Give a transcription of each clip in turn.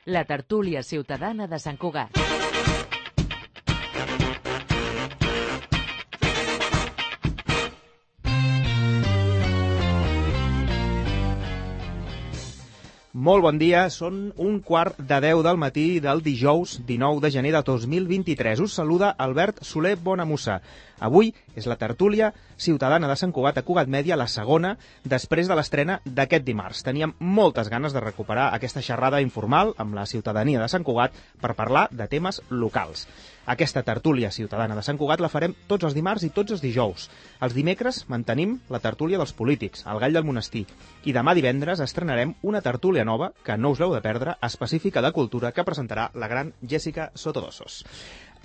la tertúlia ciutadana de Sant Cugat. Molt bon dia, són 9:15 del matí del dijous 19 de gener de 2023. Us saluda Albert Soler Bonamussa. Avui és la tertúlia ciutadana de Sant Cugat a Cugat Mèdia, la segona, després de l'estrena d'aquest dimarts. Teníem moltes ganes de recuperar aquesta xerrada informal amb la ciutadania de Sant Cugat per parlar de temes locals. Aquesta tertúlia ciutadana de Sant Cugat la farem tots els dimarts i tots els dijous. Els dimecres mantenim la tertúlia dels polítics, el Gall del Monestir. I demà divendres estrenarem una tertúlia nova, que no us l'heu de perdre, específica de cultura, que presentarà la gran Jessica Sotodossos.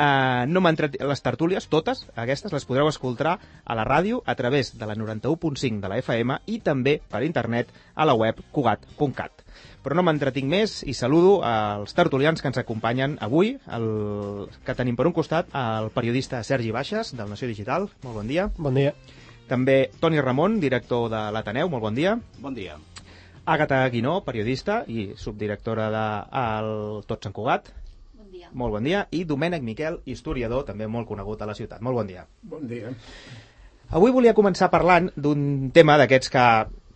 Les tertúlies, totes aquestes, les podreu escoltar a la ràdio a través de la 91.5 de la FM i també per internet a la web cugat.cat. Però no m'entretinc més i saludo els tertulians que ens acompanyen avui, que tenim per un costat el periodista Sergi Baixes, del Nació Digital. Molt bon dia. Bon dia. També Toni Ramon, director de l'Ateneu. Molt bon dia. Bon dia. Àgata Guinó, periodista i subdirectora de Tot Sant Cugat. Bon dia. Molt bon dia. I Domènec Miquel, historiador, també molt conegut a la ciutat. Molt bon dia. Bon dia. Avui volia començar parlant d'un tema d'aquests que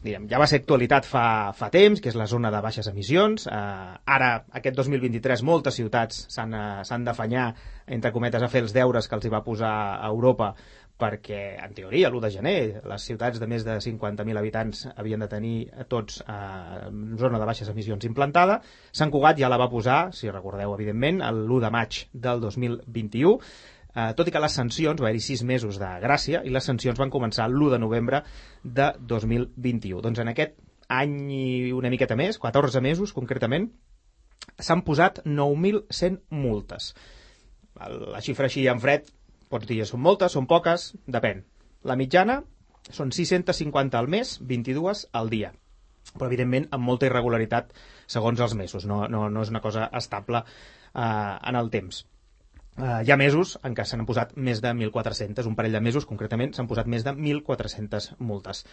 ja va ser actualitat fa temps, que és la zona de baixes emissions. Ara, aquest 2023, moltes ciutats s'han d'afanyar, entre cometes, a fer els deures que els hi va posar a Europa, perquè, en teoria, l'1 de gener, les ciutats de més de 50.000 habitants havien de tenir tots zona de baixes emissions implantada. Sant Cugat ja la va posar, si recordeu, evidentment, l'1 de maig del 2021, tot i que les sancions, va haver-hi 6 mesos de gràcia, i les sancions van començar l'1 de novembre de 2021. Doncs en aquest any i una miqueta més, 14 mesos concretament, s'han posat 9.100 multes. La xifra així en fred, pots dir, són moltes, són poques, depèn. La mitjana són 650 al mes, 22 al dia. Però, evidentment, amb molta irregularitat segons els mesos. No és una cosa estable en el temps. Hi ha mesos en què s'han posat més de 1.400, un parell de mesos concretament s'han posat més de 1.400 multes.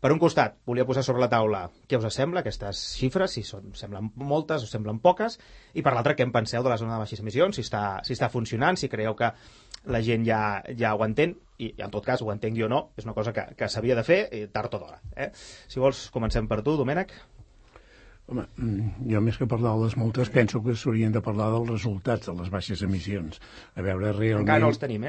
Per un costat, volia posar sobre la taula què us sembla aquestes xifres, si semblen moltes o semblen poques, i per l'altre, què en penseu de la zona de baixes emissions, si està funcionant, si creieu que la gent ja ho entén, i en tot cas ho entenc jo o no, és una cosa que s'havia de fer tard o d'hora. Si vols, comencem per tu, Domènec. Home, jo més que parlar de les multes penso que s'haurien de parlar dels resultats de les baixes emissions. A veure, realment... Encara no els tenim,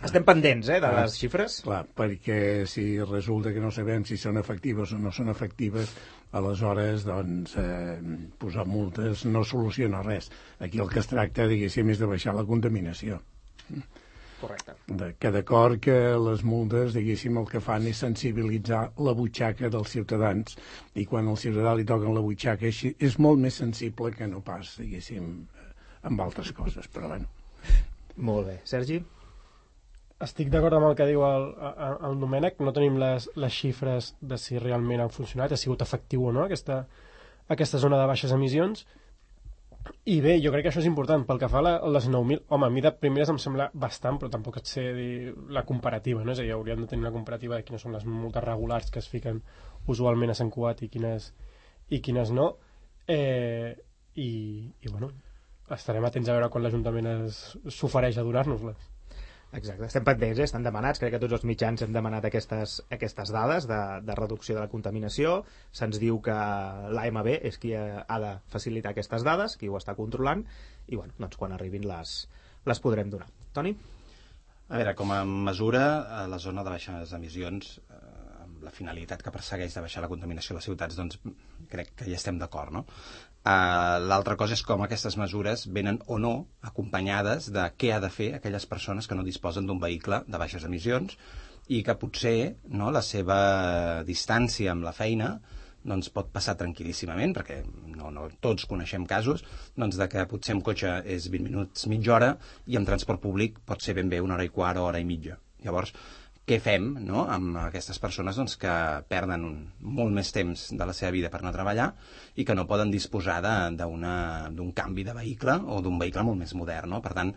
Estem pendents, de les xifres. Clar, perquè si resulta que no sabem si són efectives o no són efectives, aleshores, doncs, posar multes no soluciona res. Aquí el que es tracta, diguéssim, és de baixar la contaminació. Correcte. Que d'acord que les multes, diguéssim, el que fan és sensibilitzar la butxaca dels ciutadans, i quan al ciutadà li toquen la butxaca és molt més sensible que no pas, diguéssim, amb altres coses, però bueno. Molt bé. Sergi? Estic d'acord amb el que diu el Domènec. No tenim les xifres de si realment han funcionat, ha sigut efectiu o no aquesta zona de baixes emissions. I bé, jo crec que això és important. Pel que fa a les 9.000, home, a mi de primeres em sembla bastant, però tampoc et sé dir la comparativa, no? És a dir, hauríem de tenir una comparativa de quines són les multes regulars que es fiquen usualment a Sant Cugat i quines no. I bueno, estarem atents a veure quan l'Ajuntament s'ofereix a donar-nos-les. Exacte, estem pendents, estan demanats, crec que tots els mitjans hem demanat aquestes dades de reducció de la contaminació. Se'ns diu que l'AMB és qui ha de facilitar aquestes dades, qui ho està controlant, i bueno, doncs quan arribin les podrem donar. Toni? A veure, com a mesura, a la zona de baixes emissions, amb la finalitat que persegueix de baixar la contaminació a les ciutats, doncs crec que hi estem d'acord, no? L'altra cosa és com aquestes mesures venen o no acompanyades de què ha de fer aquelles persones que no disposen d'un vehicle de baixes emissions i que potser la seva distància amb la feina doncs pot passar tranquil·líssimament, perquè no tots coneixem casos de que potser amb cotxe és 20 minuts, mitja hora, i amb transport públic pot ser ben bé una hora i quart o hora i mitja. Llavors, què fem amb aquestes persones que perden molt més temps de la seva vida per anar a treballar i que no poden disposar d'un canvi de vehicle o d'un vehicle molt més modern, no? Per tant,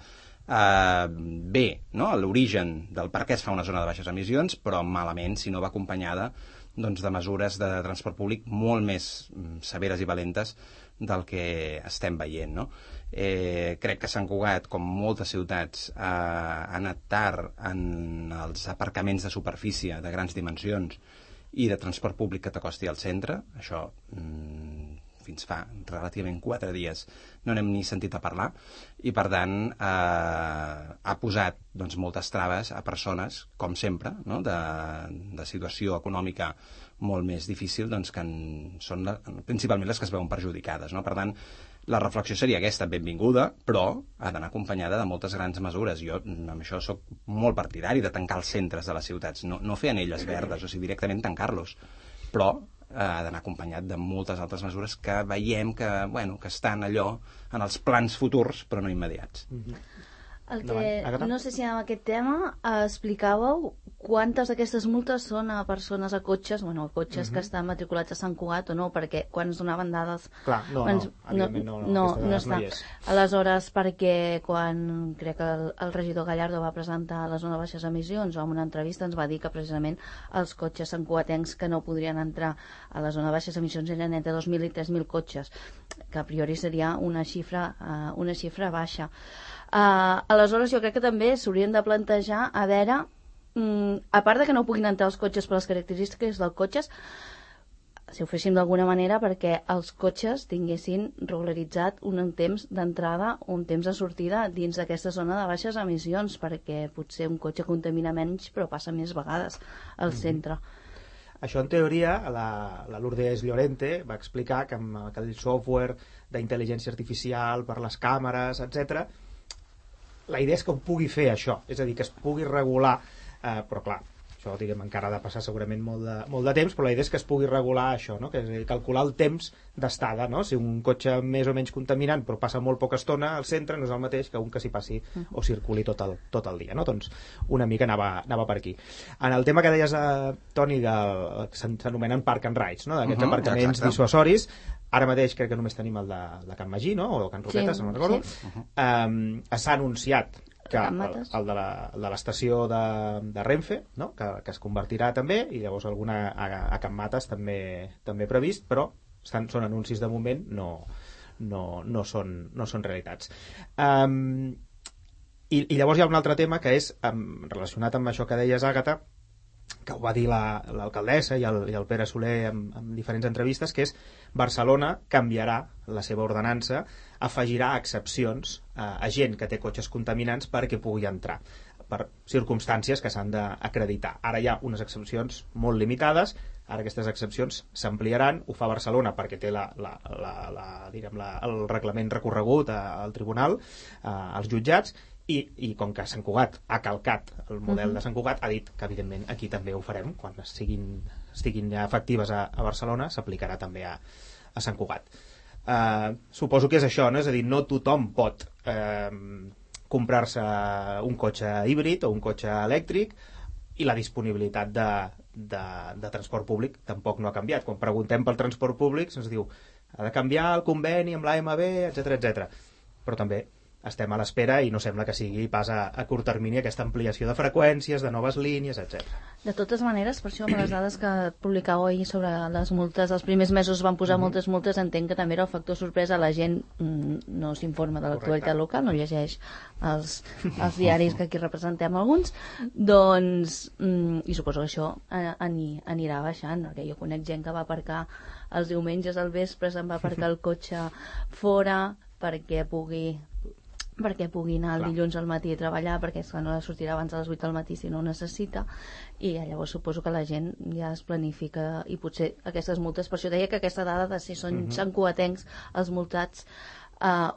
bé, l'origen del per què es fa una zona de baixes emissions, però malament si no va acompanyada de mesures de transport públic molt més severes i valentes del que estem veient, no? Crec que Sant Cugat, com moltes ciutats, ha anat tard en els aparcaments de superfície de grans dimensions i de transport públic que t'acosti al centre. Això fins fa relativament 4 dies no n'hem ni sentit a parlar, i per tant ha posat doncs, moltes traves a persones, com sempre, no? de situació econòmica molt més difícil, doncs, que són principalment les que es veuen perjudicades, no? Per tant, la reflexió seria aquesta, benvinguda, però ha d'anar acompanyada de moltes grans mesures. Jo amb això sóc molt partidari de tancar els centres de les ciutats, no fer anelles verdes, o sigui, directament tancar-los, però ha d'anar acompanyat de moltes altres mesures que veiem que, que estan allò en els plans futurs, però no immediats. El que no sé si amb aquest tema explicàveu quantes d'aquestes multes són a persones, a cotxes, cotxes que estan matriculats a Sant Cugat o no, perquè quan ens donaven dades... Clar, no està. Aleshores, perquè quan crec que el regidor Gallardo va presentar la zona de baixes emissions o en una entrevista ens va dir que precisament els cotxes santcugatencs que no podrien entrar a la zona de baixes emissions eren entre 2.000 i 3.000 cotxes, que a priori seria una xifra baixa. Aleshores jo crec que també s'haurien de plantejar a veure, a part de que no puguin entrar els cotxes per les característiques dels cotxes, si ho féssim d'alguna manera perquè els cotxes tinguessin regularitzat un temps d'entrada, un temps de sortida dins d'aquesta zona de baixes emissions, perquè potser un cotxe contamina menys però passa més vegades al centre. Això, en teoria, la Lourdes Llorente va explicar que amb aquell software d'intel·ligència artificial per les càmeres, etc., la idea és que ho pugui fer això, és a dir, que es pugui regular, però clar, això encara ha de passar segurament molt de temps, però la idea és que es pugui regular això, no? Que és calcular el temps d'estada, no? Si un cotxe més o menys contaminant però passa molt poca estona al centre no és el mateix que un que s'hi passi o circuli tot el dia, no? Doncs una mica anava per aquí. En el tema que deies, Toni, que s'anomenen park and rides, no? D'aquests aparcaments dissuasoris, ara mateix crec que només tenim el de Can Magí, no? O Can Roquetes, no recordo. S'ha anunciat que el de l'estació de Renfe, no? que es convertirà també, i llavors alguna a Can Mates també previst, però són anuncis de moment, no són realitats. I llavors hi ha un altre tema que és relacionat amb això que deies, Àgata, que ho va dir l'alcaldessa i el Pere Soler en diferents entrevistes, que és Barcelona canviarà la seva ordenança, afegirà excepcions a gent que té cotxes contaminants perquè pugui entrar per circumstàncies que s'han d'acreditar. Ara hi ha unes excepcions molt limitades, ara aquestes excepcions s'ampliaran, ho fa Barcelona perquè té el reglament recorregut al tribunal, als jutjats, i com que Sant Cugat ha calcat el model de Sant Cugat, ha dit que evidentment aquí també ho farem, quan estiguin ja efectives a Barcelona s'aplicarà també a Sant Cugat. Suposo que és això, no? És a dir, no tothom pot comprar-se un cotxe híbrid o un cotxe elèctric, i la disponibilitat de transport públic tampoc no ha canviat. Quan preguntem pel transport públic se'ns diu ha de canviar el conveni amb l'AMB, etc. Però també estem a l'espera i no sembla que sigui pas a curt termini aquesta ampliació de freqüències, de noves línies, etc. De totes maneres, per això amb les dades que publicàveu ahir sobre les multes, els primers mesos van posar moltes multes, entenc que també era el factor sorpresa, la gent no s'informa de l'actualitat local, no llegeix els diaris que aquí representem alguns, doncs, i suposo que això anirà baixant, perquè jo conec gent que va aparcar els diumenges al vespre, se'n va aparcar el cotxe fora perquè pugui anar el dilluns al matí a treballar, perquè és que no sortirà abans de les 8 del matí si no ho necessita, i llavors suposo que la gent ja es planifica, i potser aquestes multes, per això deia que aquesta dada de si són santcugatencs els multats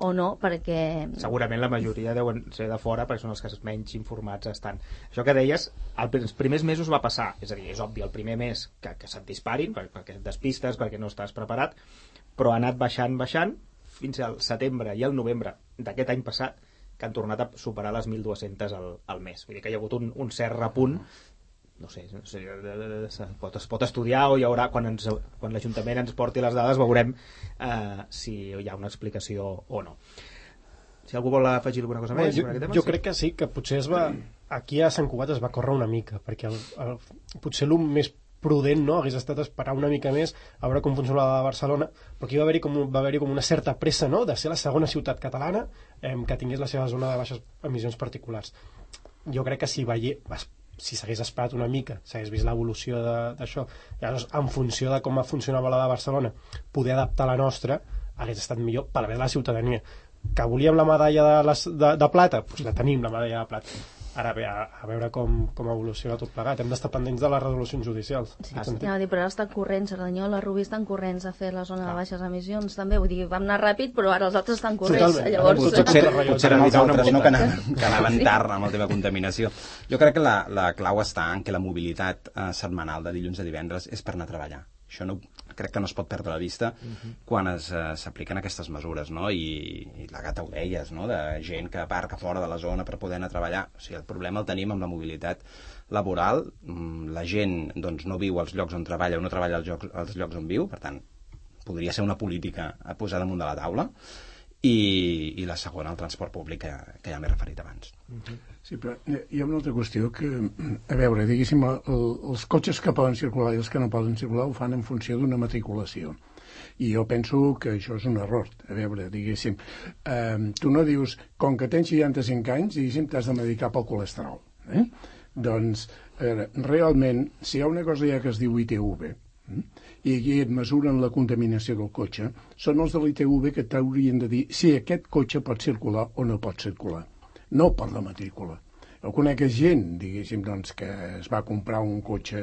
o no, perquè... Segurament la majoria deuen ser de fora perquè són els que menys informats estan. Això que deies, els primers mesos va passar, és a dir, és obvi, el primer mes que se't disparin, perquè et despistes, perquè no estàs preparat, però ha anat baixant fins al setembre i al novembre d'aquest any passat, que han tornat a superar les 1.200 al mes. Vull dir que hi ha hagut un cert repunt, no sé, es pot estudiar, o hi haurà, quan l'Ajuntament ens porti les dades veurem si hi ha una explicació o no. Si algú vol afegir alguna cosa més sobre aquest tema? Jo crec que sí, que potser aquí a Sant Cugat es va córrer una mica, perquè potser el més prudent, no? Hagués estat esperar una mica més a veure com funcionava la de Barcelona, però aquí va haver-hi com una certa pressa, no?, de ser la segona ciutat catalana que tingués la seva zona de baixes emissions particulars. Jo crec que si s'hagués esperat una mica, s'hagués vist l'evolució d'això, llavors en funció de com funcionava la de Barcelona, poder adaptar la nostra hagués estat millor per bé de la ciutadania. Que volíem la medalla de plata, doncs la tenim, la medalla de plata. Ara bé, a veure com evoluciona tot plegat. Hem d'estar pendents de les resolucions judicials. Sí, però ara estan corrents, Cerdanyola, Rubí estan corrents a fer la zona de baixes emissions, també. Vull dir, vam anar ràpid, però ara els altres estan corrents. Llavors... Potser eren els altres, no?, que anaven tard amb el tema contaminació. Jo crec que la clau està en que la mobilitat setmanal de dilluns a divendres és per anar a treballar. Això crec que no es pot perdre la vista quan s'apliquen aquestes mesures, no? I la Gata ho deies, no?, de gent que aparca fora de la zona per poder anar a treballar. O sigui, el problema el tenim amb la mobilitat laboral. La gent doncs, no viu als llocs on treballa o no treballa als llocs on viu, per tant, podria ser una política a posar damunt de la taula. I la segona, el transport públic, que ja m'he referit abans. Sí, però hi ha una altra qüestió que, a veure, diguéssim, els cotxes que poden circular i els que no poden circular ho fan en funció d'una matriculació. I jo penso que això és un error. A veure, diguéssim, tu no dius, com que tens 65 anys, diguéssim, t'has de medicar pel colesterol. Doncs, realment, si hi ha una cosa ja que es diu ITV, i aquí et mesuren la contaminació del cotxe, són els de l'ITV que t'haurien de dir si aquest cotxe pot circular o no pot circular, no per la matrícula. Jo conec gent, diguéssim, doncs, que es va comprar un cotxe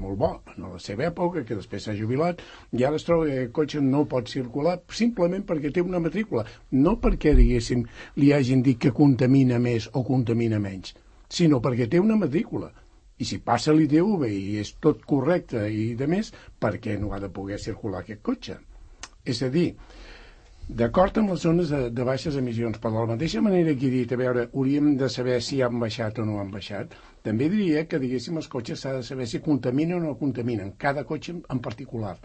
molt bo en la seva època, que després s'ha jubilat, i ara es troba que el cotxe no pot circular simplement perquè té una matrícula, no perquè, diguéssim, li hagin dit que contamina més o contamina menys, sinó perquè té una matrícula. I si passa l'ITV i és tot correcte i de més, per què no ha de poder circular aquest cotxe? És a dir, d'acord amb les zones de baixes emissions, per de la mateixa manera que he dit, a veure, hauríem de saber si han baixat o no han baixat, també diria que, diguéssim, els cotxes s'ha de saber si contaminen o no contaminen, cada cotxe en particular.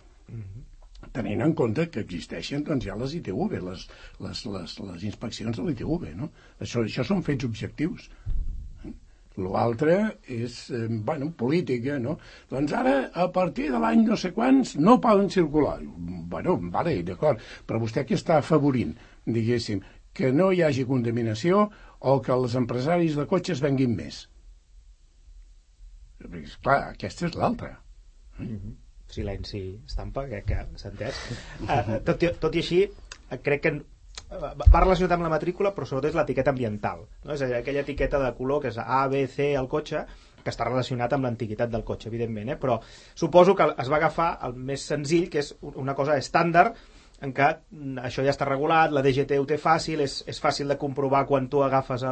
Tenint en compte que existeixen doncs, ja les ITV, les inspeccions de l'ITV, no? Això són fets objectius. L'altre és, política, no? Doncs ara, a partir de l'any no sé quants, no poden circular. Vale, d'acord, però vostè què està afavorint, diguéssim, que no hi hagi contaminació o que els empresaris de cotxes venguin més? Perquè, esclar, aquesta és l'altra. Silenci, estampa, que s'ha entès. Tot i així, crec que va relacionat amb la matrícula, però sobretot és l'etiqueta ambiental, no? És aquella etiqueta de color que és A, B, C al cotxe, que està relacionat amb l'antiguitat del cotxe, evidentment, però suposo que es va agafar el més senzill, que és una cosa estàndard, en què això ja està regulat, la DGT ho té fàcil, és fàcil de comprovar quan tu agafes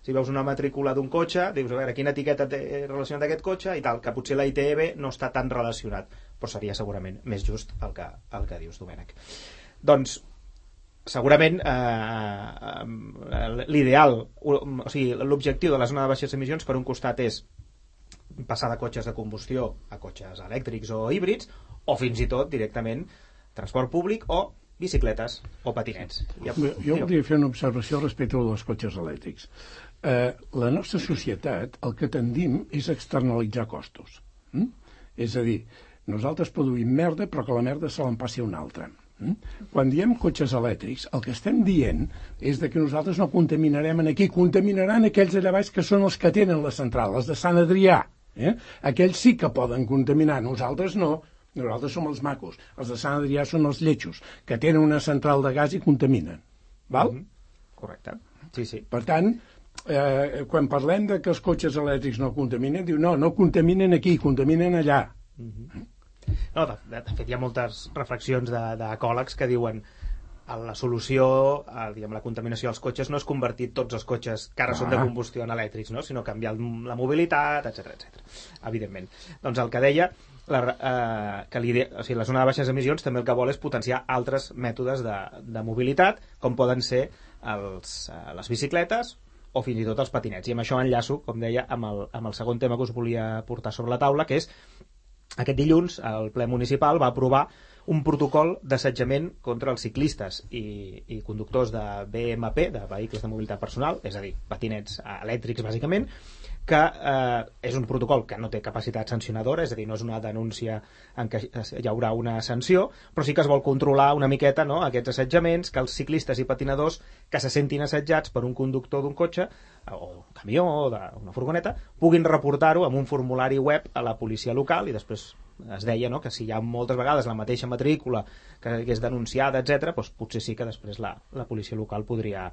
si veus una matrícula d'un cotxe, dius, a veure, quina etiqueta té relacionat aquest cotxe, i tal, que potser la ITV no està tan relacionat, però seria segurament més just el que dius, Domènec. Doncs, segurament l'ideal, o sigui, l'objectiu de la zona de baixes emissions per un costat és passar de cotxes de combustió a cotxes elèctrics o híbrids, o fins i tot directament transport públic o bicicletes o patinets. Jo voldria fer una observació respecte als cotxes elèctrics. La nostra societat, el que tendim és externalitzar costos. És a dir, nosaltres produïm merda, però que la merda se l'empassi a un altre. Quan diem cotxes elèctrics, el que estem dient és que nosaltres no contaminarem aquí, contaminaran aquells allà baix que són els que tenen la central, els de Sant Adrià. Aquells sí que poden contaminar, nosaltres no. Nosaltres som els macos, els de Sant Adrià són els lletjos, que tenen una central de gas i contaminen. Val? Correcte. Sí. Per tant, quan parlem de que els cotxes elèctrics no contaminen, diu no contaminen aquí, contaminen allà. No, de fet hi ha moltes reflexions d'ecòlegs que diuen la solució a la contaminació dels cotxes no és convertir tots els cotxes que ara són de combustió en elèctrics, no? Sinó canviar la mobilitat, etc. Evidentment. Doncs el que deia que la zona de baixes emissions també el que vol és potenciar altres mètodes de mobilitat, com poden ser les bicicletes o fins i tot els patinets. I amb això enllaço, com deia, amb el segon tema que us volia portar sobre la taula, que és aquest dilluns el ple municipal va aprovar un protocol d'assetjament contra els ciclistes i conductors de BMP, de vehicles de mobilitat personal, és a dir, patinets elèctrics bàsicament, que és un protocol que no té capacitat sancionadora, és a dir, no és una denúncia en què hi haurà una sanció, però sí que es vol controlar una miqueta, no?, aquests assetjaments, que els ciclistes i patinadors que se sentin assetjats per un conductor d'un cotxe o d'un camió o d'una furgoneta puguin reportar-ho amb un formulari web a la policia local, i després es deia, no?, que si hi ha moltes vegades la mateixa matrícula que és denunciada, etc., doncs potser sí que després la policia local podria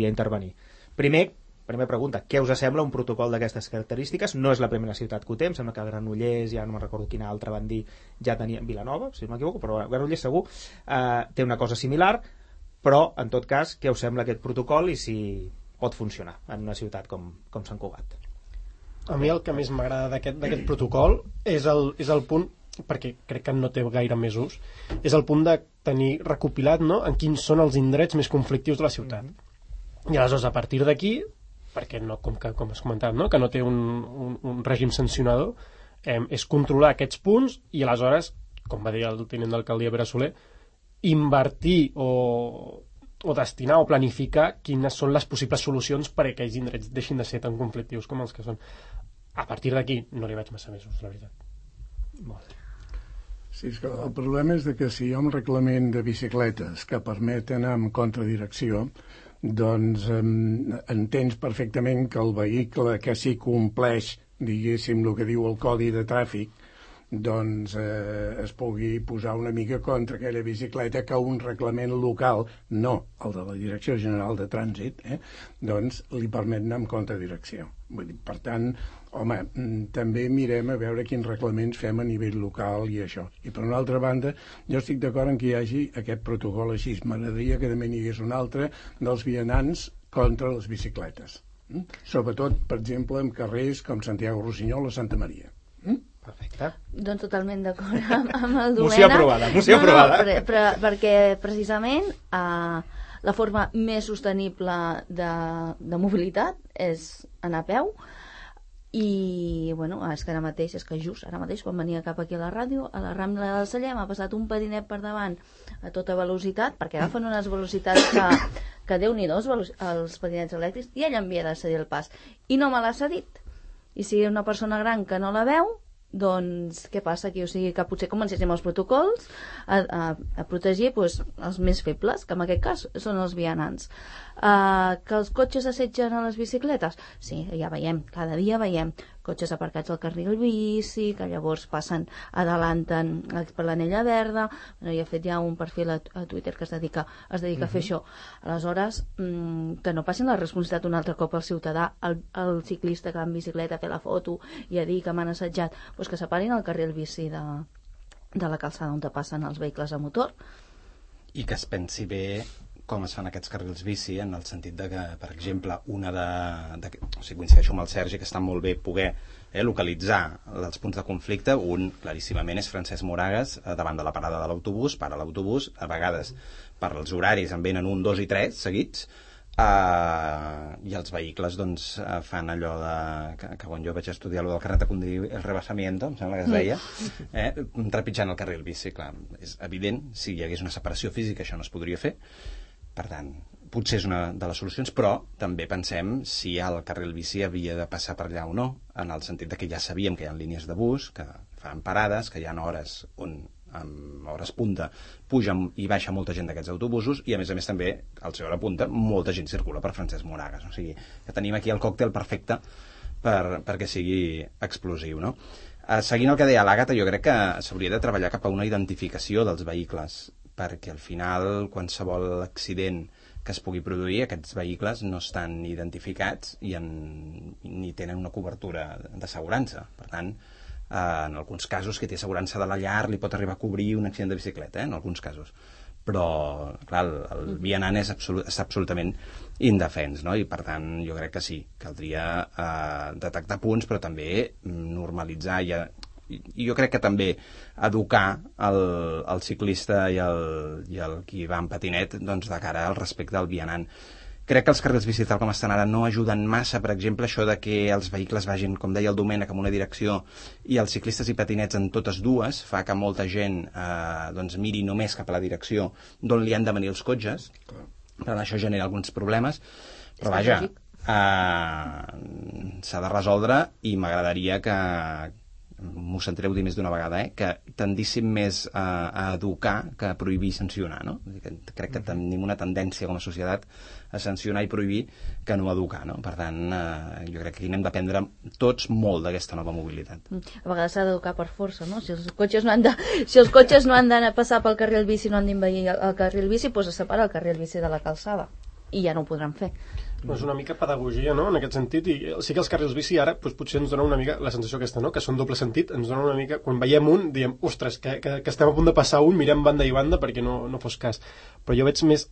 intervenir. Primera pregunta, què us sembla un protocol d'aquestes característiques? No és la primera ciutat que ho té, em sembla que Granollers, ja no me'n recordo quina altra van dir, ja tenia Vilanova, si no m'equivoco, però Granollers segur té una cosa similar, però en tot cas, què us sembla aquest protocol i si pot funcionar en una ciutat com Sant Cugat? A mi el que més m'agrada d'aquest protocol és el punt, perquè crec que no té gaire més ús, és el punt de tenir recopilat, no?, en quins són els indrets més conflictius de la ciutat. I aleshores, a partir d'aquí, perquè no, com has comentat, no?, que no té un règim sancionador, és controlar aquests punts i aleshores, com va dir el tinent d'alcaldia Pere Soler, invertir o destinar o planificar quines són les possibles solucions perquè aquells indrets deixin de ser tan conflictius com els que són. A partir d'aquí no li veig massa més ús, la veritat. Molt bé. Sí, és que el problema és que si hi ha un reglament de bicicletes que permet anar en contradirecció, doncs entens perfectament que el vehicle que sí compleix, diguéssim, el que diu el codi de tràfic, doncs es pugui posar una mica contra aquella bicicleta que un reglament local, no el de la Direcció General de Trànsit, doncs li permet anar en contradirecció. Vull dir, per tant, home, també mirem a veure quins reglaments fem a nivell local i això. I per una altra banda, jo estic d'acord en que hi hagi aquest protocol així. M'agradaria que també n'hi hagués un altre dels vianants contra les bicicletes. Sobretot, per exemple, en carrers com Santiago Rossinyol o Santa Maria. Perfecte. Doncs totalment d'acord amb el Domènec. Moció aprovada, moció aprovada. Perquè precisament la forma més sostenible de mobilitat és anar a peu i, bueno, és que ara mateix, ara mateix quan venia cap aquí a la ràdio, a la Rambla del Celler m'ha passat un patinet per davant a tota velocitat, perquè agafen unes velocitats que Déu-n'hi-do els patinets elèctrics, i ell em havia de cedir el pas i no me l'ha cedit. I si una persona gran que no la veu, doncs què passa aquí? O sigui que potser comencéssim els protocols a protegir doncs, els més febles, que en aquest cas són els vianants. Que els cotxes assetgen a les bicicletes? Sí, ja veiem, cada dia veiem cotxes aparcats al carril bici, que llavors adelanten per l'anella verda. Bueno, he fet ja un perfil a Twitter que es dedica a fer això. Aleshores, que no passin la responsabilitat un altre cop al ciutadà, al ciclista que va en bicicleta a fer la foto i a dir que m'han assetjat, doncs que separin el carril bici de la calçada on passen els vehicles a motor. I que es pensi bé com es fan aquests carrils bici, en el sentit de que, per exemple, o sigui, coincideixo amb el Sergi, que està molt bé poder localitzar els punts de conflicte. Un, claríssimament, és Francesc Moragas, davant de la parada de l'autobús, para l'autobús, a vegades per als horaris en venen 1, 2 i 3 seguits, i els vehicles doncs fan allò que quan jo vaig estudiar allò del carnet de conduir el rebassamiento, em sembla que es deia, trepitjant el carril bici. Clar, és evident, si hi hagués una separació física això no es podria fer. Per tant, potser és una de les solucions, però també pensem si el carril bici havia de passar per allà o no, en el sentit de que ja sabíem que hi ha línies de bus que fan parades, que hi ha hores on amb hores punta puja i baixa molta gent d'aquests autobusos, i a més també al ser hora punta molta gent circula per Francesc Moragas, o sigui que tenim aquí el còctel perfecte perquè sigui explosiu, no? Seguint el que deia l'Àgata, jo crec que s'hauria de treballar cap a una identificació dels vehicles, perquè al final qualsevol accident que es pugui produir, aquests vehicles no estan identificats i ni tenen una cobertura d'assegurança. Per tant, en alguns casos, qui té assegurança de la llar li pot arribar a cobrir un accident de bicicleta, en alguns casos. Però, clar, el vianant està absolutament indefens, no? I per tant, jo crec que sí, caldria detectar punts, però també normalitzar i jo crec que també educar el ciclista i el qui va en patinet doncs, de cara al respecte al vianant. Crec que els carrils bici tal com estan ara no ajuden massa, per exemple, això de que els vehicles vagin, com deia el Domènec, en una direcció i els ciclistes i patinets en totes dues, fa que molta gent doncs, miri només cap a la direcció d'on li han de venir els cotxes. Per tant, això genera alguns problemes, però vaja, s'ha de resoldre, i m'agradaria que m'ho sentireu dir més d'una vegada, que tendíssim més a educar que a prohibir i sancionar, no? Crec que tenim una tendència com a societat a sancionar i prohibir que no educar, no? Per tant, jo crec que aquí n'hem d'aprendre tots molt d'aquesta nova mobilitat. A vegades s'ha d'educar per força, no? Si els cotxes no han d'anar a passar pel carril bici, no han d'invadir el carril bici, doncs es separa el carril bici de la calçada i ja no ho podran fer. No, és una mica pedagogia, no?, en aquest sentit, i sí que els carrils bici ara potser ens dona una mica la sensació aquesta, no?, que són doble sentit, ens dona una mica, quan veiem un, diem, ostres, que estem a punt de passar un, mirem banda i banda perquè no fos cas. Però jo veig més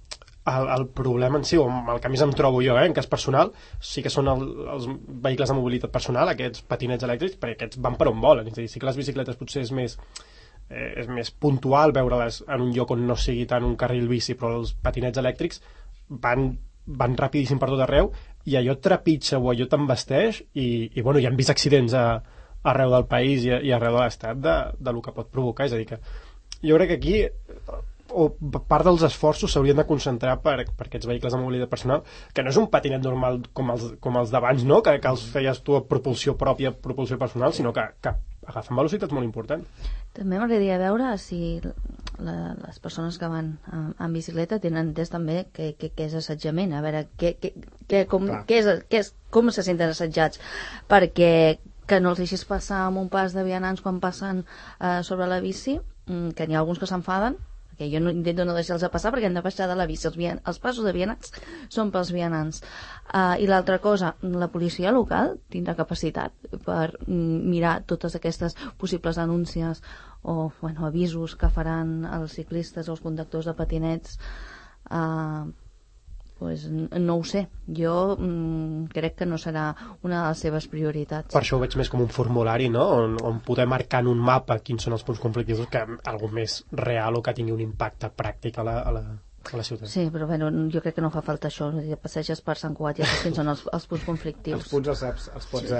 el problema en si, o el que més em trobo jo, en cas personal, sí que són els vehicles de mobilitat personal, aquests patinets elèctrics, perquè aquests van per on volen, és a dir, sí que les bicicletes potser és més puntual veure-les en un lloc on no sigui tant un carril bici, però els patinets elèctrics van rapidíssim per tot arreu, i allò trepitja o allò t'embesteix, i bueno, ja hem vist accidents arreu del país i arreu de l'estat de lo que pot provocar. És a dir, que jo crec que aquí part dels esforços s'haurien de concentrar per aquests vehicles de mobilitat personal, que no és un patinet normal com els d'abans, no? Que els feies tu a propulsió pròpia, propulsió personal, sinó que agafen velocitats molt importants. També m'agradaria veure si les persones que van en bicicleta tenen entès també què és assetjament, a veure com se senten assetjats, perquè que no els deixis passar amb un pas de vianants quan passen sobre la bici, que n'hi ha alguns que s'enfaden, que jo no intento no deixar-los passar perquè han de baixar de la bici. Els passos de vianants són pels vianants. I l'altra cosa, la policia local tindrà capacitat per mirar totes aquestes possibles denúncies o avisos que faran els ciclistes o els conductors de patinets. No ho sé. Jo crec que no serà una de les seves prioritats. Per això ho veig més com un formulari, no? On poder marcar en un mapa quins són els punts conflictius, que algo més real o que tingui un impacte pràctic a la ciutat. Sí, però jo crec que no fa falta això. Passeges per Sant Cugat i ja saps quins són els punts conflictius. Els punts els saps, els pots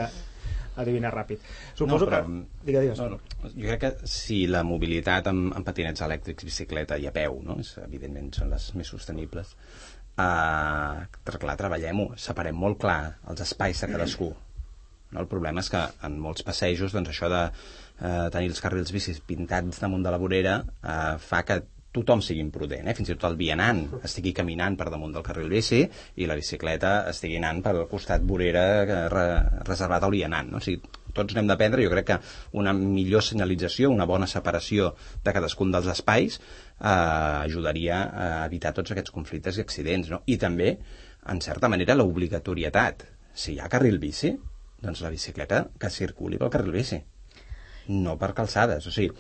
adivinar ràpid. Suposo que... Digues. No. Jo crec que si la mobilitat amb patinets elèctrics, bicicleta i a peu, no? Evidentment són les més sostenibles, clar, treballem-ho, separem molt clar els espais de cadascú. No? El problema és que en molts passejos, doncs, això de tenir els carrils bicis pintats damunt de la vorera fa que tothom sigui imprudent, fins i tot el vianant estigui caminant per damunt del carril bici i la bicicleta estigui anant pel costat vorera reservat al vianant, no? O sigui, tots n'hem d'aprendre. Jo crec que una millor senyalització, una bona separació de cadascun dels espais ajudaria a evitar tots aquests conflictes i accidents, no? I també, en certa manera, l'obligatorietat. Si hi ha carril bici, doncs la bicicleta que circuli pel carril bici, no per calçades. O sigui,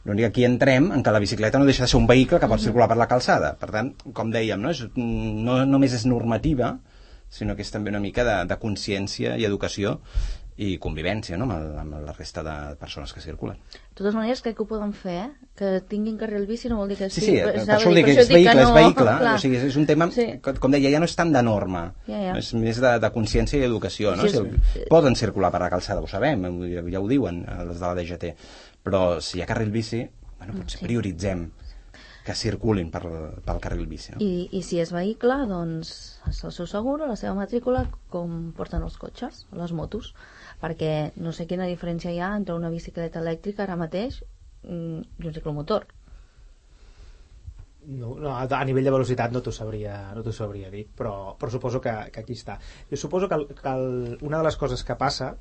l'únic que aquí entrem en que la bicicleta no deixa de ser un vehicle que pot circular per la calçada. Per tant, com dèiem, no només és normativa, sinó que és també una mica de consciència i educació i convivència, no?, amb la resta de persones que circulen. De totes maneres, crec que ho poden fer, que tinguin carril bici no vol dir que sí. Sí, per això ho dic, és vehicle, és vehicle. O sigui, és un tema, com deia, ja no és tant de norma, és més de consciència i educació, no? Poden circular per la calçada, ho sabem, ja ho diuen les de la DGT, però si hi ha carril bici, potser prioritzem que circulin pel carril bici, no? I si és vehicle, doncs el seu segur, la seva matrícula, com porten els cotxes, les motos, perquè no sé quina diferència hi ha entre una bicicleta elèctrica ara mateix i un ciclomotor. No, a nivell de velocitat no t'ho sabria dir, però suposo que aquí està. Jo suposo que una de les coses que passa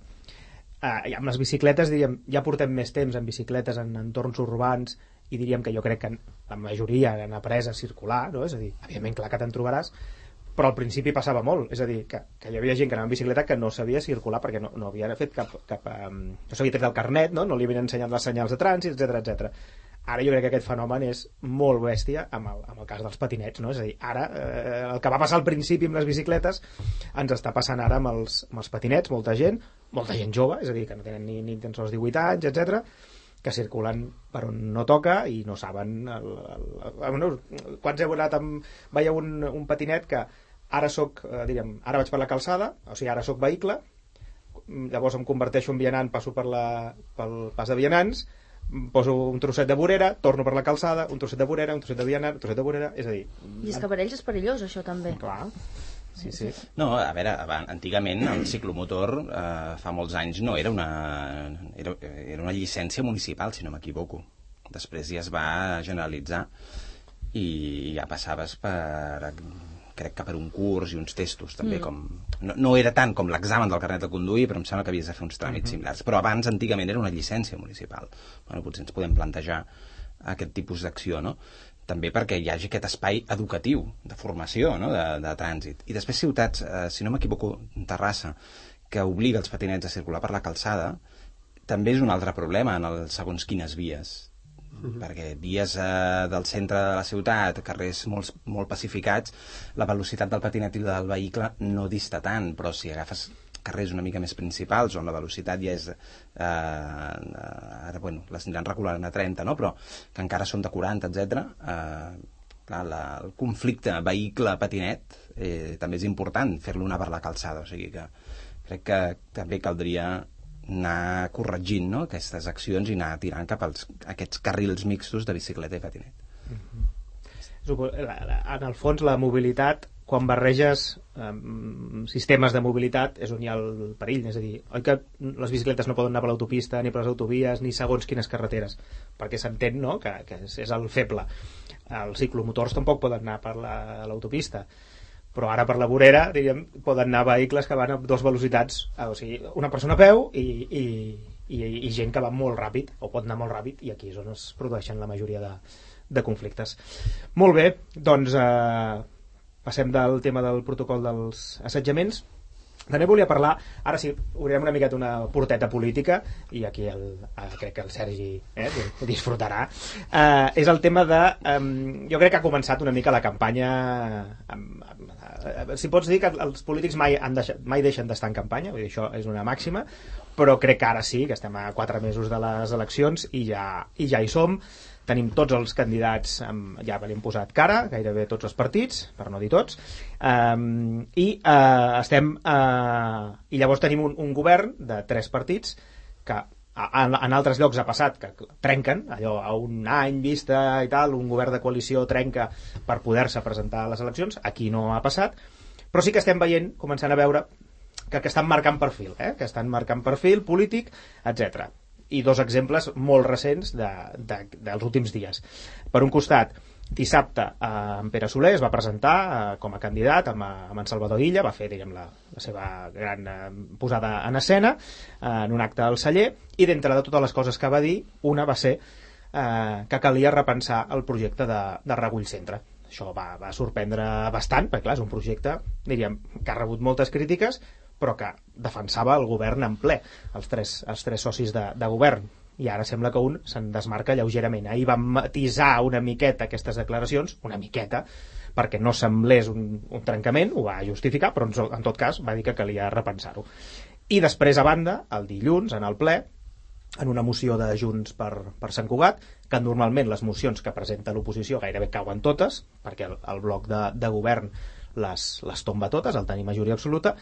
amb les bicicletes, diríem, ja portem més temps en bicicletes en entorns urbans, i diríem que jo crec que la majoria han après a circular, no? És a dir, evidentment, clar que te'n trobaràs, però al principi passava molt, és a dir, que hi havia gent que anava en bicicleta que no sabia circular perquè no havia fet no s'havia tret el carnet, no li havien ensenyat les senyals de trànsit, etc. Ara jo crec que aquest fenomen és molt bèstia amb el cas dels patinets, no? És a dir, ara el que va passar al principi amb les bicicletes ens està passant ara amb els patinets, molta gent jove, és a dir, que no tenen ni tan sols 18 anys, etc., que circulen per on no toca i no saben quan heu anat veieu un patinet que ara ara vaig per la calçada, o sigui, ara soc vehicle, llavors em converteixo en vianant, passo pel pas de vianants, poso un trosset de vorera, torno per la calçada, un trosset de vorera, un trosset de vianant, un trosset de vorera, és a dir... I és que per ells és perillós, això també. Clar. Sí. No, a veure, antigament el ciclomotor fa molts anys no era una llicència municipal, si no m'equivoco. Després ja es va generalitzar i ja passaves crec que per un curs i uns testos també, com no era tant com l'examen del carnet de conduir, però em sembla que havies de fer uns tràmits similars, però abans antigament era una llicència municipal. Bueno, potser ens podem plantejar aquest tipus d'acció, no? També perquè hi hagi aquest espai educatiu, de formació, no? de trànsit. I després ciutats, si no m'equivoco, Terrassa, que obliga els patinets a circular per la calçada, també és un altre problema en segons quines vies. Perquè vies del centre de la ciutat, carrers molt pacificats, la velocitat del patinet i del vehicle no dista tant, però si agafes carrers una mica més principals, on la velocitat ja és... ara, bueno, les aniran regulant a 30, no? Però que encara són de 40, etc. El conflicte vehicle-patinet també és important fer-lo anar per la calçada, o sigui que crec que també caldria anar corregint, no?, aquestes accions i anar tirant cap a aquests carrils mixtos de bicicleta i patinet. En el fons, la mobilitat, quan barreges sistemes de mobilitat, és on hi ha el perill. És a dir, oi que les bicicletes no poden anar per l'autopista, ni per les autovies, ni segons quines carreteres, perquè s'entén, no?, que és el feble. Els ciclomotors tampoc poden anar per l'autopista, però ara per la vorera, diríem, poden anar vehicles que van a 2 velocitats, o sigui, una persona a peu i gent que va molt ràpid, o pot anar molt ràpid, i aquí és on es produeixen la majoria de conflictes. Molt bé, doncs passem del tema del protocol dels assetjaments. També volia parlar, ara sí, obrirem una miqueta una porteta política, i aquí crec que el Sergi disfrutarà. És el tema de... jo crec que ha començat una mica la campanya... si pots dir que els polítics mai deixen d'estar en campanya, vull dir, això és una màxima, però crec que ara sí, que estem a 4 mesos de les eleccions i ja hi som. Tenim tots els candidats, ja li hem posat cara, gairebé tots els partits, per no dir tots, i llavors tenim un govern de 3 partits que en altres llocs ha passat que trenquen, allò a un any vista i tal, un govern de coalició trenca per poder-se presentar a les eleccions. Aquí no ha passat, però sí que estem veient, començant a veure que estan marcant perfil, que estan marcant perfil polític, etc. I 2 exemples molt recents dels últims dies. Per un costat, dissabte en Pere Soler es va presentar com a candidat amb en Salvador Illa, va fer, diguem, la seva gran posada en escena en un acte al celler, i d'entre de totes les coses que va dir, una va ser que calia repensar el projecte de Regull Centre. Això va sorprendre bastant, perquè clar, és un projecte, diríem, que ha rebut moltes crítiques, però que defensava el govern en ple, els tres socis de govern, i ara sembla que un se'n desmarca lleugerament. Ahir van matisar una miqueta aquestes declaracions, una miqueta, perquè no semblés un trencament, ho va justificar, però en tot cas va dir que calia repensar-ho. I després, a banda, el dilluns, en el ple, en una moció de Junts per Sant Cugat, que normalment les mocions que presenta l'oposició gairebé cauen totes, perquè el bloc de govern les tomba totes, el tenir majoria absoluta.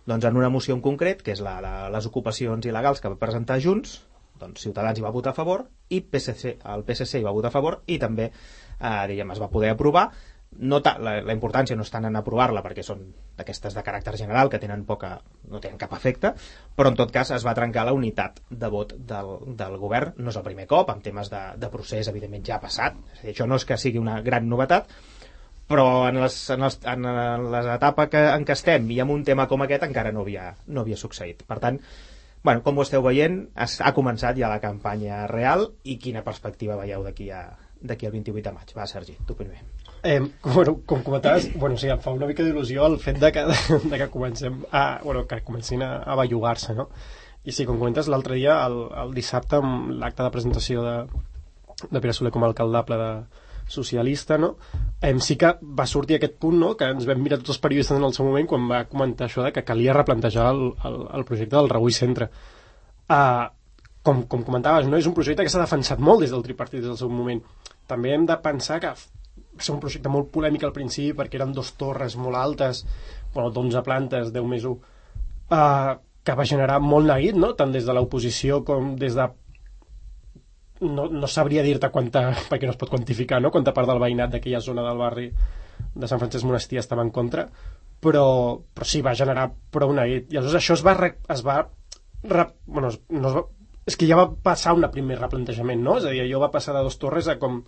Doncs en una moció en concret, que és les ocupacions il·legals que va presentar Junts, doncs Ciutadans hi va votar a favor, i el PSC hi va votar a favor, i també es va poder aprovar. La importància no és tant en aprovar-la, perquè són d'aquestes de caràcter general que no tenen cap efecte, però en tot cas es va trencar la unitat de vot del govern. No és el primer cop, en temes de procés evidentment ja ha passat, és a dir, això no és que sigui una gran novetat, però en l'etapa en què estem i amb un tema com aquest encara no havia succeït. Per tant, com ho esteu veient, ha començat ja la campanya real, i quina perspectiva veieu d'aquí al 28 de maig? Va, Sergi, tu primer. Com comentaves, sí, em fa una mica d'il·lusió el fet de que comencin a bellugar-se, no? I sí, com comentes, l'altre dia, el dissabte, amb l'acte de presentació de Pere Soler com a alcaldable socialista, no? Sí que va sortir aquest punt, no?, que ens vam mirar tots els periodistes en el seu moment quan va comentar això de que calia replantejar el projecte del Regull Centre. Com comentaves, no? És un projecte que s'ha defensat molt des del tripartit des del seu moment. També hem de pensar que va ser un projecte molt polèmic al principi perquè eren 2 torres molt altes, d'11 plantes, 10 més 1, que va generar molt neguit, no?, tant des de l'oposició com des de... No sabria dir-te quanta, perquè no es pot quantificar, no?, quanta part del veïnat d'aquella zona del barri de Sant Francesc Monestir estava en contra, però sí, va generar prou neguit. I aleshores això és que ja va passar un primer replantejament, no? És a dir, allò va passar de 2 torres a com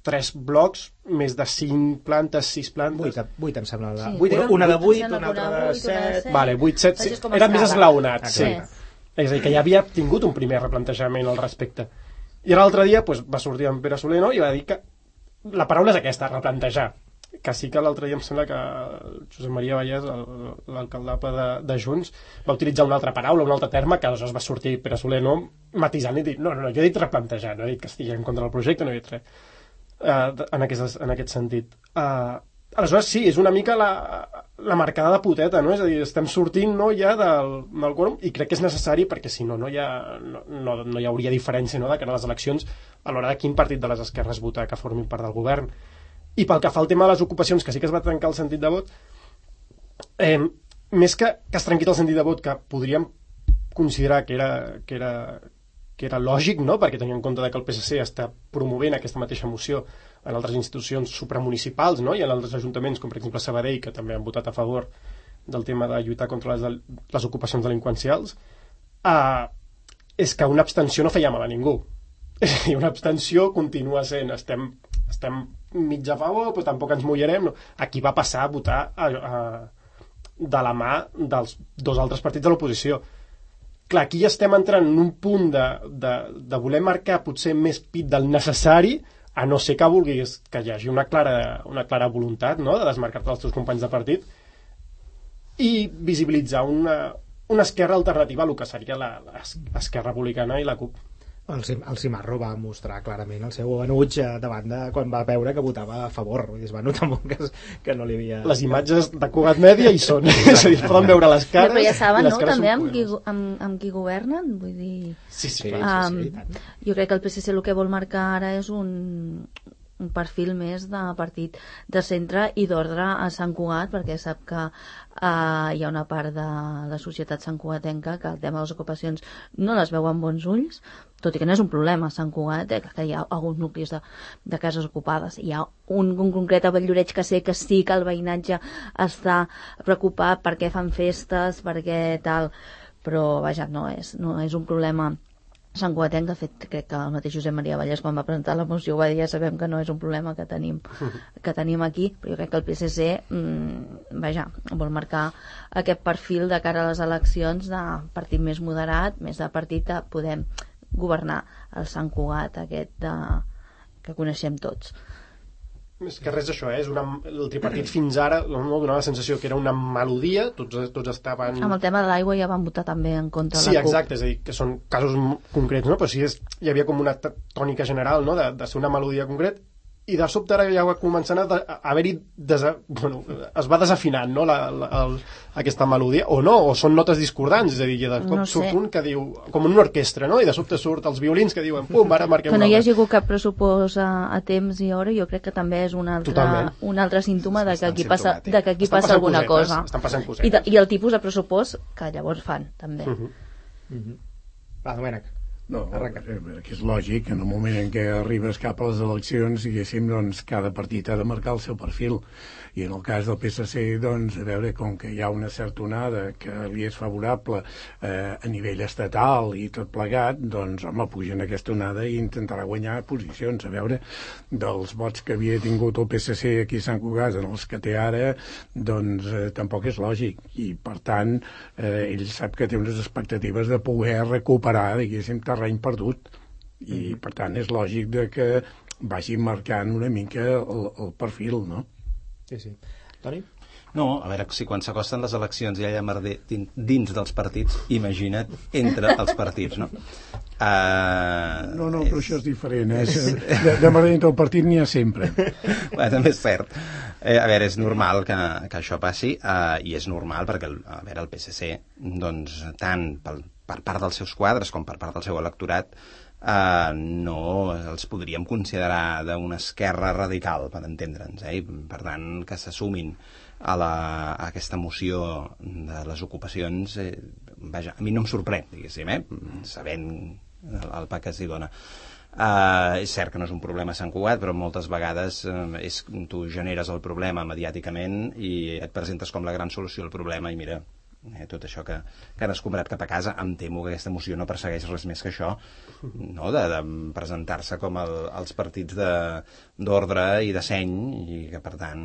3 blocs, més de 5 plantes, 6 plantes... 8 em sembla. Sí. 8, una de 8, una altra de 7... Vale, 8, 7... Era més esglaonat, sí. És a dir, que ja havia tingut un primer replantejament al respecte. I l'altre dia va sortir en Pere Soler, no?, i va dir que la paraula és aquesta, replantejar. Que sí que l'altre dia em sembla que Josep Maria Vallès, l'alcaldable de Junts, va utilitzar una altra paraula, un altre terme, que aleshores va sortir Pere Soler, no?, matisant i dir, no, jo he dit replantejar, no he dit que estigui en contra del projecte, no he dit res. En aquest sentit. Aleshores, sí, és una mica la marcada de poteta, no? És a dir, estem sortint, no, ja del quòrum, i crec que és necessari perquè si no hi hauria diferència, no?, de cara a les eleccions a l'hora de quin partit de les esquerres votar que formin part del govern. I pel que fa al tema de les ocupacions, que sí que es va trencar el sentit de vot, més que es trenqui el sentit de vot, que podríem considerar que era lògic, no?, perquè tenint en compte que el PSC està promovent aquesta mateixa moció en altres institucions supramunicipals, no?, i en altres ajuntaments, com per exemple Sabadell, que també han votat a favor del tema de lluitar contra les ocupacions delinqüencials, és que una abstenció no feia mal a ningú. És a dir, una abstenció continua sent estem mig a favor, però tampoc ens mullarem. Aquí va passar a votar de la mà dels 2 altres partits de l'oposició. Clar, aquí ja estem entrant en un punt de voler marcar potser més pit del necessari, a no ser que vulguis que hi hagi una clara voluntat, no?, de desmarcar-te dels teus companys de partit i visibilitzar una esquerra alternativa a el que seria l'esquerra republicana i la CUP. El Cimarro va mostrar clarament el seu enuig davant de quan va veure que votava a favor. Es va notar molt que no li havia... Les imatges de Cugat Mèdia hi són. És a dir, poden veure les cares. Però ja saben, no?, també amb qui governen. Vull dir... Sí, jo crec que el PSC el que vol marcar ara és un perfil més de partit de centre i d'ordre a Sant Cugat, perquè sap que hi ha una part de la societat santcugatenca que el tema de les ocupacions no les veu amb bons ulls, tot i que no és un problema a Sant Cugat, que hi ha alguns nuclis de cases ocupades. Hi ha un concret a Valldoreix que sé que sí que el veïnatge està preocupat perquè fan festes, perquè tal, però vaja, no és un problema santcugatenc. De fet, crec que el mateix Josep Maria Vallès, quan va presentar la moció, va dir, ja sabem que no és un problema que tenim aquí, però jo crec que el PSC vol marcar aquest perfil de cara a les eleccions de partit més moderat, més de partit que podem governar el Sant Cugat aquest que coneixem tots. És que res d'això, el tripartit fins ara donava la sensació que era una melodia, tots estaven... Amb el tema de l'aigua ja van votar també en contra de la CUP. Sí, exacte, és a dir, que són casos concrets, no? Però sí, hi havia com una tònica general, no?, de ser una melodia concret, i de sobte ara ja va començant a haver-hi es va desafinant, no?, aquesta melodia, o no, o són notes discordants, és a dir, de cop surt un que diu, com en una orquestra, no?, i de sobte surt els violins que diuen, pum, ara marquem que no hi hagi hagut cap pressupost a temps i hora, jo crec que també és un altre símptoma de que aquí passa alguna cosa. Estan passant cosetes. I el tipus de pressupost que llavors fan, també. Va, Domènec. No, que és lògic, en el moment en què arribes cap a les eleccions, diguéssim, doncs cada partit ha de marcar el seu perfil. I en el cas del PSC, doncs, a veure, com que hi ha una certa onada que li és favorable a nivell estatal i tot plegat, doncs, home, pugen aquesta onada i intentarà guanyar posicions. A veure, dels vots que havia tingut el PSC aquí a Sant Cugat en els que té ara, doncs tampoc és lògic. I, per tant, ell sap que té unes expectatives de poder recuperar, diguéssim, terreny perdut. I, per tant, és lògic de que vagi marcant una mica el perfil, no? Sí. Toni? No, a veure, si quan s'acosten les eleccions hi ha merder dins dels partits, imagina't entre els partits, no? No, però això és diferent. De merder entre el partit n'hi ha sempre. Bé, també és cert. A veure, és normal que això passi, i és normal perquè, a veure, el PSC, doncs, tant per part dels seus quadres com per part del seu electorat, no els podríem considerar d'una esquerra radical, per entendre'ns, i per tant que s'assumin a aquesta moció de les ocupacions, vaja, a mi no em sorprèn, diguéssim, sabent el pa que s'hi dona. És cert que no és un problema a Sant Cugat, però moltes vegades tu generes el problema mediàticament i et presentes com la gran solució al problema i mira, tot això que han escombrat cap a casa. Em temo que aquesta moció no persegueix res més que això, no? de presentar-se com els partits d'ordre i de seny, i que per tant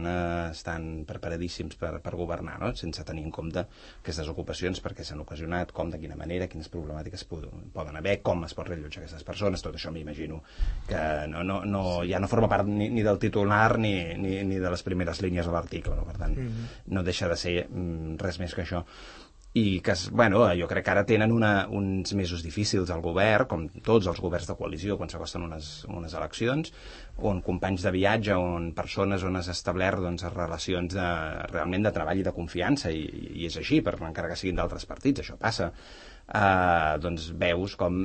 estan preparadíssims per governar, no? Sense tenir en compte aquestes ocupacions, perquè s'han ocasionat, com, de quina manera, quines problemàtiques poden haver, com es pot reallotjar aquestes persones. Tot això m'imagino que ja no forma part ni del titular ni de les primeres línies de l'article, no? Per tant, no deixa de ser res més que això. I que, jo crec que ara tenen uns mesos difícils al govern, com tots els governs de coalició quan s'acosten unes eleccions, on companys de viatge, on persones on has establert relacions realment de treball i de confiança, i és així, encara que siguin d'altres partits, això passa. Veus com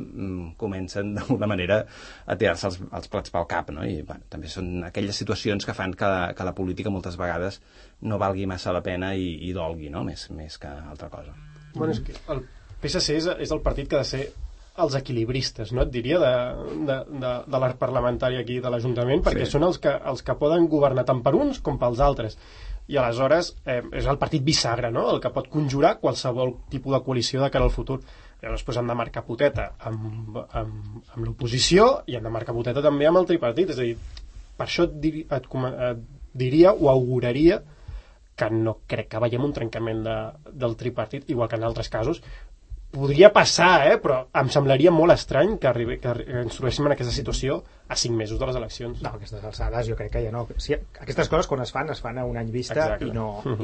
comencen d'alguna manera a tirar-se els plats pel cap, no? I també són aquelles situacions que fan que la política moltes vegades no valgui massa la pena i dolgui, no? Més que altra cosa. És que el PSC és el partit que ha de ser els equilibristes, no? Et diria, de l'art parlamentari aquí de l'Ajuntament, perquè són els que poden governar tant per uns com pels altres. I aleshores és el partit bisagra, no? El que pot conjurar qualsevol tipus de coalició de cara al futur. Llavors han de marcar poteta amb l'oposició i han de marcar poteta també amb el tripartit. És a dir, per això et diria o auguraria que no crec que veiem un trencament del tripartit, igual que en altres casos. Podria passar, però em semblaria molt estrany que ens trobéssim en aquesta situació a 5 mesos de les eleccions. No, aquestes alçades jo crec que ja no. Sí, aquestes coses quan es fan a un any vista. Exacte.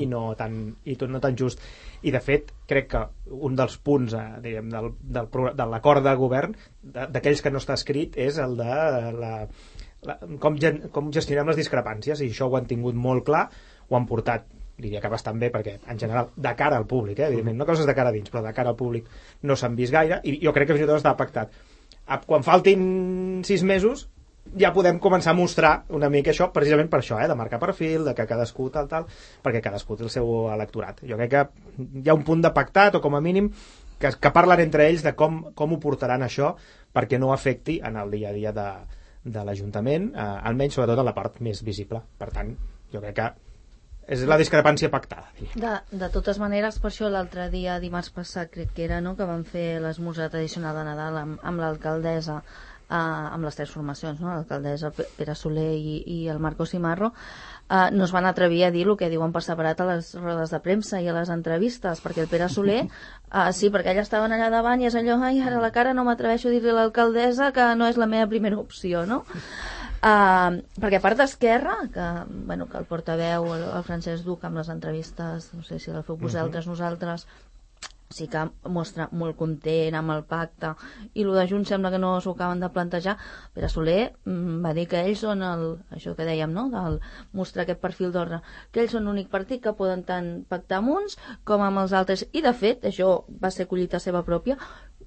i no tan just. I de fet crec que un dels punts de l'acord de govern, d'aquells que no està escrit, és el de com gestionem les discrepàncies, i això ho han tingut molt clar, ho han portat, diria que bastant bé, perquè en general de cara al públic, evidentment, no coses de cara a dins, però de cara al públic no s'han vist gaire, i jo crec que fins i tot està pactat. Quan faltin 6 mesos ja podem començar a mostrar una mica això, precisament per això, de marcar perfil, de que cadascú tal, perquè cadascú té el seu electorat. Jo crec que hi ha un punt de pactat, o com a mínim que parlen entre ells de com ho portaran això perquè no afecti en el dia a dia de l'Ajuntament, almenys sobretot en la part més visible. Per tant, jo crec que és la discrepància pactada. De totes maneres, per això l'altre dia, dimarts passat, crec que era, no?, que van fer l'esmorzar tradicional de Nadal amb l'alcaldessa, amb les 3 formacions, no?, l'alcaldessa Pere Soler i el Marco Cimarro, no es van atrevir a dir el que diuen per separat a les rodes de premsa i a les entrevistes, perquè el Pere Soler sí, perquè ella estaven allà davant i és allò, ai, ara a la cara no m'atreveixo a dir-li a l'alcaldessa que no és la meva primera opció, no? Perquè a part d'Esquerra, que el portaveu, el Francesc Duc, amb les entrevistes, no sé si la feu vosaltres, nosaltres, sí que mostra molt content amb el pacte, i el de Junts sembla que no s'ho acaben de plantejar. Pere Soler va dir que ells són això que dèiem, no?, del mostrar aquest perfil d'ordre, que ells són l'únic partit que poden tant pactar amb uns com amb els altres, i de fet això va ser collita seva pròpia.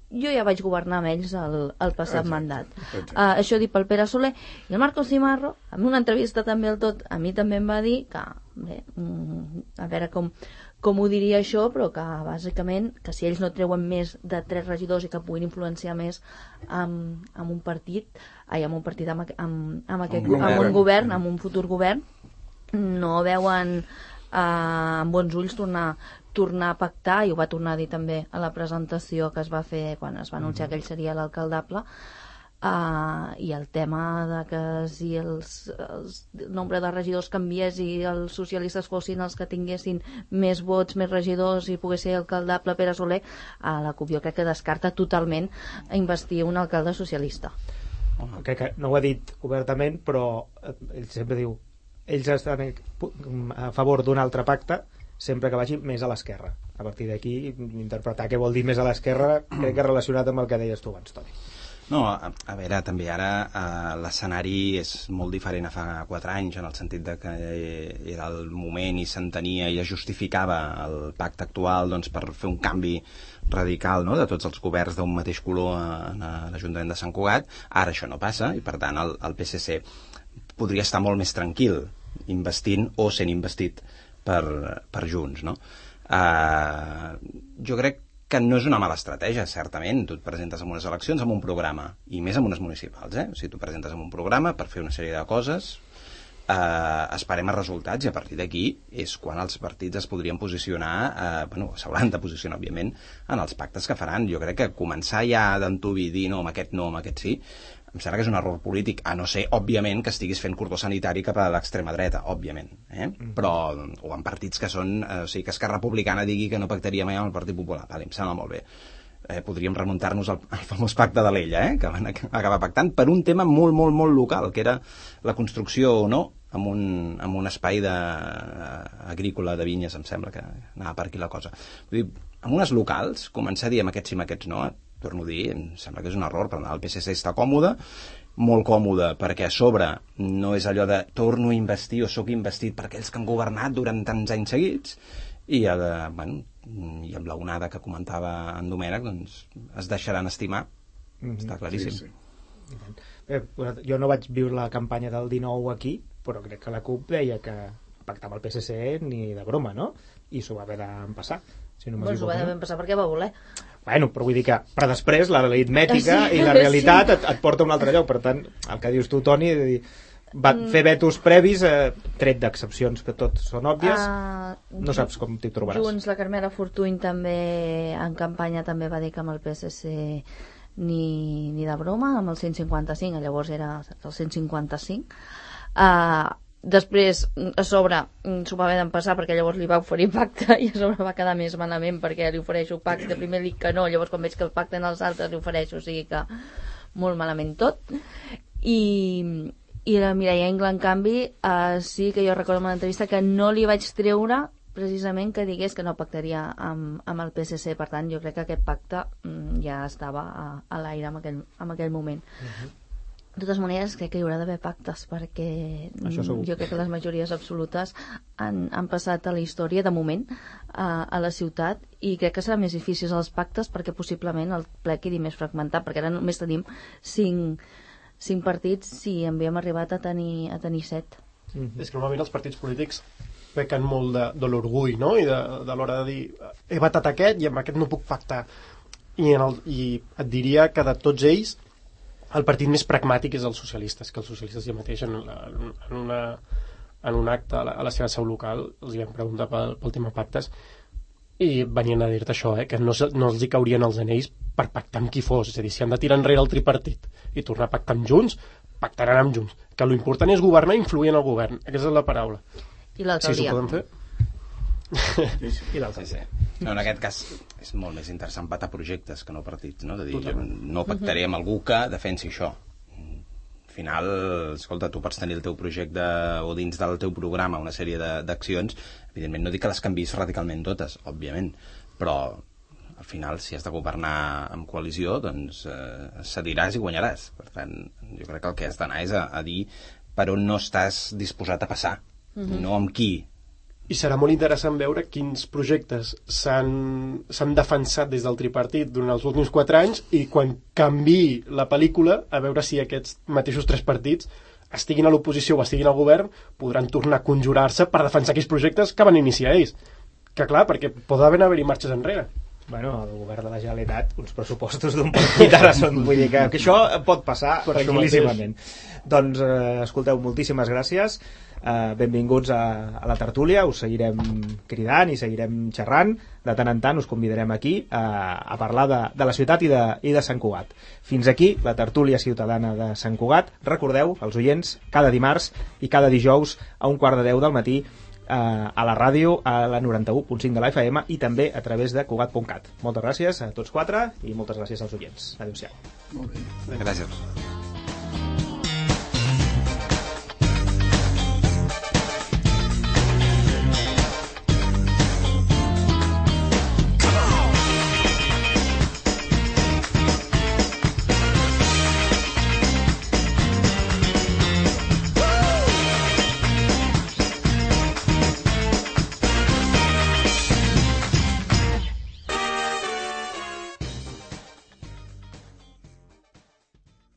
Jo ja vaig governar amb ells el passat mandat. Això dit pel Pere Soler. I el Marco Cimarro, en una entrevista també a mi també em va dir que, bé, a veure com ho diria això, però que bàsicament que si ells no treuen més de 3 regidors i que puguin influenciar més amb un partit, amb un govern, amb un futur govern, no veuen amb bons ulls tornar a pactar, i ho va tornar a dir també a la presentació que es va fer quan es va anunciar que ell seria l'alcaldable, i el tema de que si el nombre de regidors canviés i els socialistes fossin els que tinguessin més vots, més regidors, i pogués ser alcaldable Pere Soler, la CUP jo crec que descarta totalment investir un alcalde socialista. Crec que no ho ha dit obertament, però ell sempre diu ells estan a favor d'un altre pacte sempre que vagi més a l'esquerra. A partir d'aquí, interpretar què vol dir més a l'esquerra crec que és relacionat amb el que deies tu abans, Toni. No, a veure, també ara l'escenari és molt diferent a fa 4 anys, en el sentit de que era el moment i s'entenia i es justificava el pacte actual per fer un canvi radical, no?, de tots els governs d'un mateix color a l'Ajuntament de Sant Cugat. Ara això no passa, i per tant el PSC podria estar molt més tranquil investint o sent investit per Junts, no? Jo crec que no és una mala estratègia, certament. Tu et presentes en unes eleccions amb un programa, i més amb unes municipals, eh? Si tu presentes amb un programa per fer una sèrie de coses, esperem els resultats, i a partir d'aquí és quan els partits es podrien posicionar, s'hauran de posicionar, òbviament, en els pactes que faran. Jo crec que començar ja d'entubi, dir no, amb aquest sí, em sembla que és un error polític, a no ser, òbviament, que estiguis fent cordó sanitari cap a l'extrema dreta, òbviament, però, o en partits que són, o sigui, que Esquerra Republicana digui que no pactaria mai amb el Partit Popular, vale, em sembla molt bé. Podríem remuntar-nos al famós pacte de l'Ella, que van acabar pactant per un tema molt, molt, molt local, que era la construcció o no en un espai agrícola de vinyes, em sembla que anava per aquí la cosa. Vull dir, en unes locals, començar a dir amb aquests sí, amb aquests no, torno a dir, em sembla que és un error, per tant, el PSC està còmode, molt còmode, perquè a sobre no és allò de torno a investir o sóc investit per aquells que han governat durant tants anys seguits, i i amb l'onada que comentava en Domènec, doncs es deixaran estimar, està claríssim. Sí. Jo no vaig viure la campanya del 19 aquí, però crec que la CUP deia que pactar amb el PSC ni de broma, no? I s'ho va haver d'empassar, si no m'equivoco. S'ho va haver d'empassar perquè va voler. Bueno, però vull dir que, però després la aritmètica i la realitat et porta a un altre lloc. Per tant, el que dius tu, Toni, va fer vetos previs, tret d'excepcions que tot són òbvies, no saps com t'hi trobaràs. Junts, la Carmela Fortuny també en campanya també va dir que amb el PSC ni de broma, amb el 155, llavors era el 155. Després, a sobre, s'ho va haver d'empassar perquè llavors li va oferir pacte i a sobre va quedar més malament perquè li ofereixo pacte, primer dic que no, llavors quan veig que el pacten els altres li ofereixo, o sigui que molt malament tot. I la Mireia Ingla, en canvi, sí que jo recordo en una entrevista que no li vaig treure precisament que digués que no pactaria amb el PSC, per tant jo crec que aquest pacte ja estava a l'aire en aquell moment. De totes maneres, crec que hi haurà d'haver pactes perquè jo crec que les majories absolutes han passat a la història de moment a la ciutat, i crec que serà més difícil els pactes perquè possiblement el ple quedi més fragmentat, perquè ara només tenim 5 partits si havíem arribat a tenir 7. És que normalment els partits polítics pequen molt de l'orgull, no? I de l'hora de dir he vetat aquest i amb aquest no puc pactar, i et diria que de tots ells el partit més pragmàtic és els socialistes, que els socialistes ja mateix en un acte a la seva seu local els vam preguntar pel tema pactes i venien a dir-te això, que no els hi caurien els anells per pactar amb qui fos, és a dir, si han de tirar enrere el tripartit i tornar a pactar amb Junts, pactaran amb Junts, que l'important és governar i influir en el govern, aquesta és la paraula. I l'alcaldia. Si s'ho poden fer. I l'alcaldia. No, en aquest cas és molt més interessant patar projectes que no partits, no? De dir, no pactaré amb algú que defensi això. Al final, escolta, tu pots tenir el teu projecte o dins del teu programa una sèrie d'accions, evidentment no dic que les canvis radicalment totes, òbviament, però al final, si has de governar amb coalició, doncs cediràs i guanyaràs. Per tant, jo crec que el que has d'anar és a dir per on no estàs disposat a passar, no amb qui. I serà molt interessant veure quins projectes s'han defensat des del tripartit durant els últims 4 anys i quan canviï la pel·lícula, a veure si aquests mateixos 3 partits estiguin a l'oposició o estiguin al govern, podran tornar a conjurar-se per defensar aquells projectes que van iniciar ells. Que clar, perquè poden haver-hi marxes enrere. Bueno, el govern de la Generalitat, uns pressupostos d'un partit ara són, vull dir que això pot passar tranquil·líssimament. Doncs, escolteu, moltíssimes gràcies, benvinguts a la tertúlia, us seguirem cridant i seguirem xerrant, de tant en tant us convidarem aquí a parlar de la ciutat i de Sant Cugat. Fins aquí la tertúlia ciutadana de Sant Cugat. Recordeu, els oients, cada dimarts i cada dijous a 1:15 del matí a la ràdio, a la 91.5 de la FM i també a través de Cugat.cat. Moltes gràcies a tots 4 i moltes gràcies als oients. Adéu-siau. Molt bé. Gràcies.